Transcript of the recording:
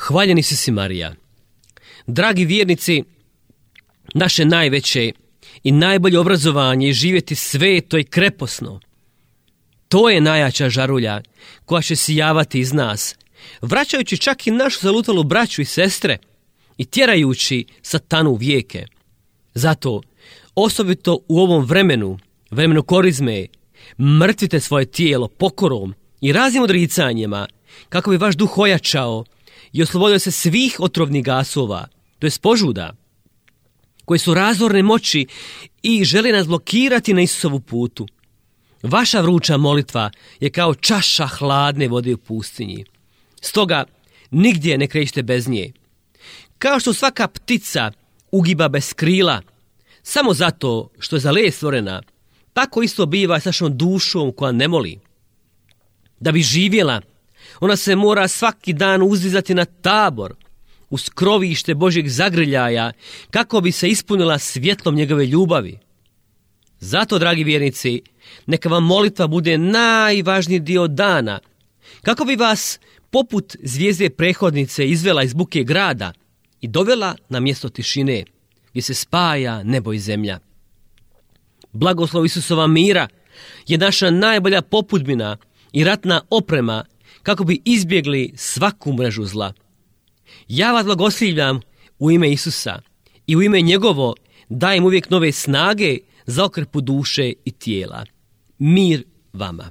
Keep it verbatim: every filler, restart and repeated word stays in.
Hvaljeni si si, Marija. Dragi vjernici, naše najveće i najbolje obrazovanje je živjeti sveto i kreposno. To je najjača žarulja koja će sijavati iz nas, vraćajući čak i našu zalutalu braću i sestre i tjerajući satanu u vijeke. Zato, osobito u ovom vremenu, vremenu korizme, mrtvite svoje tijelo pokorom i raznim odricanjima, kako bi vaš duh ojačao i oslobodio se svih otrovnih gasova, to je požuda, koji su razorne moći i žele nas blokirati na Isusovu putu. Vaša vruća molitva je kao čaša hladne vode u pustinji. Stoga, nigdje ne krećite bez nje. Kao što svaka ptica ugiba bez krila, samo zato što je za let stvorena, tako isto biva s našom dušom koja ne moli. Da bi živjela, ona se mora svaki dan uzdizati na tabor, u skrovište Božjeg zagrljaja, kako bi se ispunila svjetlom njegove ljubavi. Zato, dragi vjernici, neka vam molitva bude najvažniji dio dana, kako bi vas poput zvijezde prethodnice izvela iz buke grada i dovela na mjesto tišine, gdje se spaja nebo i zemlja. Blagoslov Isusova mira je naša najbolja popudbina i ratna oprema, kako bi izbjegli svaku mrežu zla. Ja vas blagoslivljam u ime Isusa i u ime njegovo dajem uvijek nove snage za okrpu duše i tijela. Mir vama.